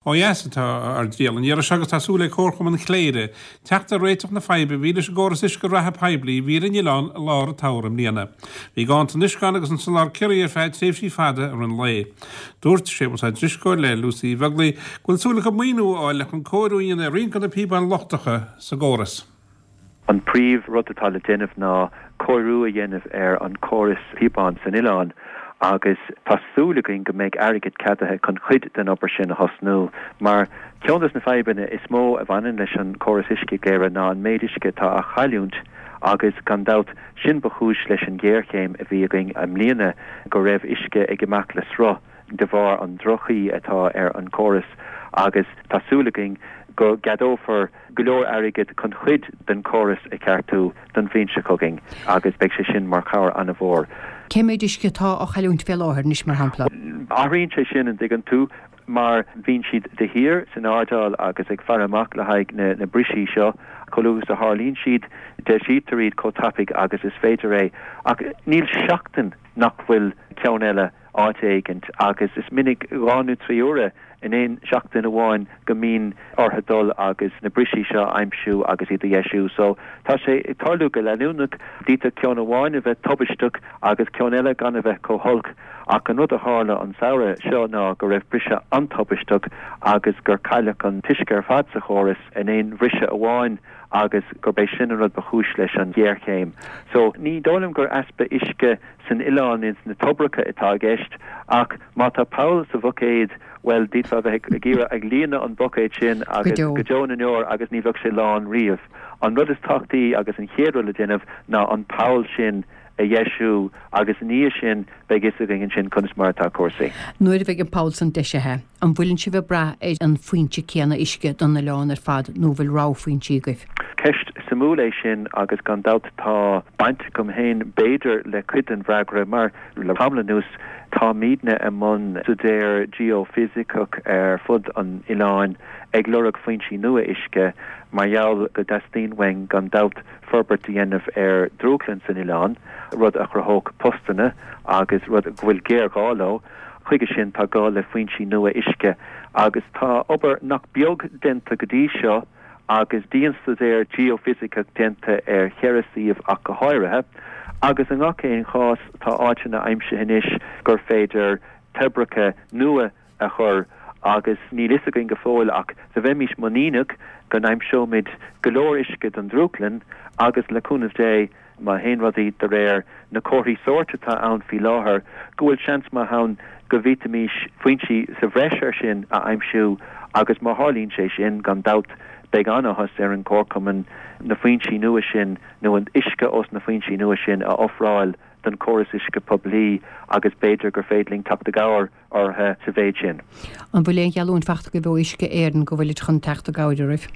Ó dheas atá ár dtriall an iarraidh seo agus tá súil ag Comharchumann Chléire teacht ar réiteach na faidhbe a bhí leis an gcóras uisce reatha poiblí a bhí ar an oileán i lár an tsamhraidh i mbliana. Bhí ganntan uisce ann agus an soláthar ciorraithe ar feadh tréimhsí fada i rith an lae. Dúirt Séamus Ó Drisceoil le Lucy Uí Bheaglaoich go bhfuil súil acu maoiniú a fháil le chun cóiriú a dhéanamh ar roinnt de na píobáin lochtacha sa gcóras. An príomh rud atá le déanamh ná cóiriú a dhéanamh ar an córas píobán san oileán agus tá súil againn go mbeidh airgead ceadaithe chun cuid den obair sin a thosnú mar ceann des na fadhbanna is mó a bhaineann leis an córas uisce i gCléire ná an méid uisce atá á chailliúint agus gan dabht sin ba chúis leis an ghéarchéim a bhí againn i mbliana go raibh uisce ag imeacht le sruth de bharr an droch-chaoi atá ar an córas agus tá súil againn go gceadófar go leor airgid chun cuid den chóras a cheartú don bhliain seo chugainn agus beidh sé sin mar chabhair an-mhór. Cé méid uisce atá á chailliúint fé láthair anois, mar shampla? Athraíonn sé sin, an dtuigeann tú, mar bíonn siad de shíor san airdeall agus ag faire amach le haghaidh na brisí seo. Chomh luath is a tharlaíonn siad, deisítear iad chomh tapaidh agus is féidir é. Ach níl seachtain nach bhfuil ceann eile áit éigint agus is minic 2 nó 3 uaire in aon seachtain amháin go mbíonn orthu dul agus na brisí seo a aimsiú agus iad a dheisiú. So tá sé ag tarlú go leanúnach. D'fhéadfadh ceann amháin a bheith tubaisteach agus ceann eile gan a bheith chomh holc ach an rud a tharla an samhradh seo ná go raibh briseadh an-tubaisteach agus gur cailleadh an t-uisce ar fad sa chóras in aon bhriseadh amháin agus gurb é sin an rud ba chúis leis an ghéarchéim. So ní dóigh liom gur easpa uisce san oileán ins na toibreacha atá i gceist ach má tá poll sa bhuicéad, bhuel, d'fhéadfá a bheith ag iarraidh ag líonadh an buicéad sin agus go deo na ndeor agus ní bheadh sé lán riamh. An rud is tábhachtaí agus an chéad rud le déanamh ná an poll sin a dheisiú agus i ndiaidh sin beidh fhios againn ansin conas mar atá cúrsaí. Nuair a bheidh an poll san deisithe, An bhfuileann sibh ag brath ar an foinse céanna uisce don oileán ar fad nó an bhfuil rogha foinsí agaibh? Ceist suimiúil é sin agus gan dabht tá baint agam féin b'fhéidir le cuid den bhfreagra mar le tamall anuas táimidne i mbun staidéar geoifisiceach ar fud an oileáin ag lorg foinsí nua uisce mar gheall go dteastaíonn uainn gan dabht forbairt a dhéanamh ar dhrúthlann san oileán, rud a chruthódh postanna agus rud go bhfuil géarghá leo. Chuige sin tá gá le foinsí nua uisce agus tá obair nach beag déanta go dtí seo agus dianstaidéar geoifisiceach déanta ar cheithre suíomh ach go háirithe agus i ngach aon chás tá áiteanna aimsithe anois gur féidir toibreacha nua a chur agus níl fhios againn go fóill ach do bheimís muiníneach go n-aimseoimid go leor uisce don drúthlann agus le cúnamh Dé má théann rudaí de réir na comharthaí sóirt atá ann faoi láthair, go bhfuil seans maith ann go bhféadfaimis foinsí sa bhreis air sin a aimsiú agus má tharlaíonn sé sin, gan dabht, beidh an-áthas ar an gComharchumann na foinsí nua sin nó an t-uisce ós na foinsí nua sin a ofráil don chóras uisce poiblí agus b'fhéidir gur féidir linn teacht i gcabhair orthu sa mhéid sin. An bhfuil aon gheallúint fachta agaibh ó Uisce Éireann go bhfuilid chun teacht i gcabhair oraibh?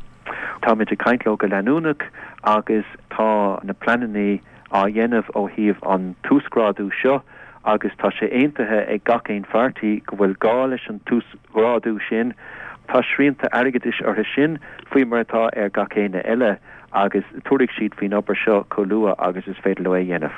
Táimid ag caint leo go leanúnach agus tá na pleananna á dhéanamh ó thaobh an t-uasghrádú seo agus tá sé aontaithe ag gach aon pháirtí go bhfuil gá leis an t-uasghrádú sin. Tá srianta airgeadais orthu sin faoi mar atá ar gach éinne eile. agus tabharfaidh siad faoin obair seo chomh luath agus is féidir leo é a dhéanamh.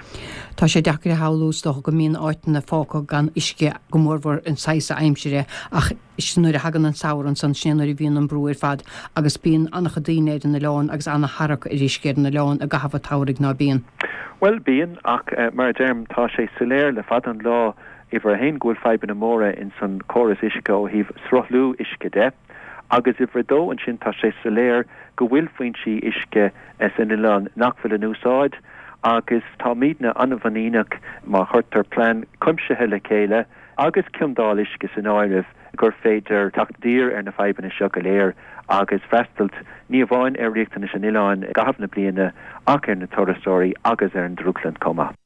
Tá sé deacair a shamhlú, is dócha, go mbíonn áiteanna fágtha gan uisce, go mórmhór an saghas aimsire, ach sin nuair a thagann an samhradh ansan, sin é nuair a bhíonn an brú ar fad agus bíonn an-chuid daoine ar an oileán agus an-tharrac ar uisce ar an oileán i gcaitheamh an tsamhraidh, ná bíonn? Bhuel, bíonn, ach mar a deirim, tá sé soiléir le fada an lá, uimhir a haon, go bhfuil fadhbanna móra ins an chóras uisce ó thaobh sruthlú uisce de. Agus uimhir a dó ansin tá sé soiléir go bhfuil foinsí uisce san oileán nach bhfuil in úsáid agus táimidne an-mhuiníneach má chuirtear plean cuimsithe le chéile agus ciondáil uisce san áireamh gur féidir teacht i dtír ar na fadhbanna seo go léir agus freastailt ní amháin ar riachtanais an oileáin i gcaitheamh na bliana ach ar na turasóirí agus ar an drúthlann chomh maith.